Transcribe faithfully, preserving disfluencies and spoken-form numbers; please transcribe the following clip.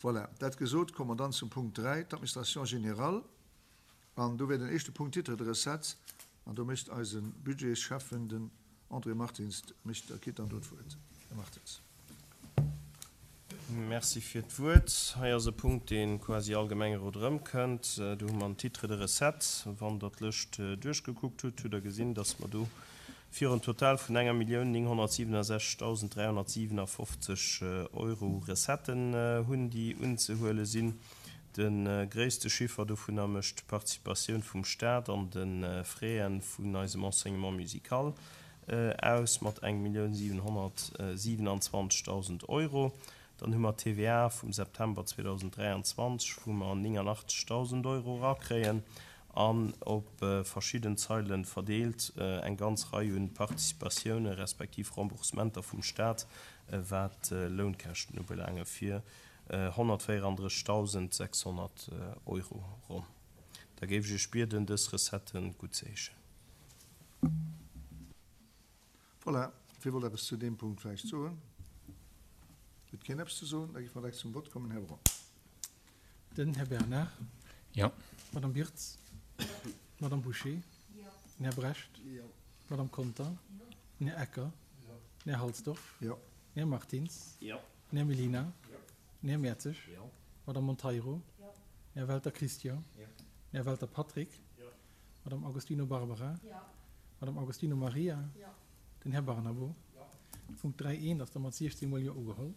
Voilà, dat gesot, komme mer dann zum Punkt dräi, d'Administration générale. An do wär den éischte Punkt Titre de recettes. An do mécht eise Budgetschäffen, den André Martins, mécht, kritt dann do d'Wuert. Här Martins. Merci fir d'Wuert. Hei ass e Punkt, dee quasi all Gemengerot erëmkënnt. Do hu mer en Titre de recettes. Wann Der d'Lëscht duerchgekuckt hutt, hutt Der gesinn, dass mer do fir en Total vun enger Millioun nénghonnertsiwwenundsechzegdausend dräihonnertsiwwenafofzeg Euro Recetten hunn, déi unzehuele sinn. De gréisste Chiffer dovunner mécht d'Participatioun vum Stat an de Fräen vun eisem Enseignement musical aus mat eng Millioun siwenhonnertsiwenanzwanzegdausend Euro. Dann hu mer d'T V A vum September zweedausenddräianzwanzeg, wou mer néngannachtzegdausend Euro erakréien, an op verschidden Zeile verdeelt eng ganz Rei un Participatioune respektiv Remboursementer vum Stat, wat Lounkäschten ubelaange fir honnertvéierandrëssigdausendsechshonnert Euro ronn. Da géif ech Iech bieden, dës Recettë guttzeheeschen. Voilà, wie wollt eppes zu deem Punkt vläicht soen? Huet keen eppes ze soen? Da géife mer direkt zum Vott kommen. Här Braun. Den Här Bernard. Jo. D'Madame Birtz. D'Madame Bouché. Den Här Brecht. D'Madame Conter. Den Här Ecker. Den Här Halsdorf. Jo. Den Här Martins. Jo. Den Här Mellina. Den Här Mertzig. D'Madame Monteiro. Den Här Welter Christian. Den Här Welter Patrick. D'Madame Agostino Barbara. D'Madame Agostino Maria. Den Här Barnabo. De Punkt dräi eent ass da mat siechzéng mol Jo ugeholl.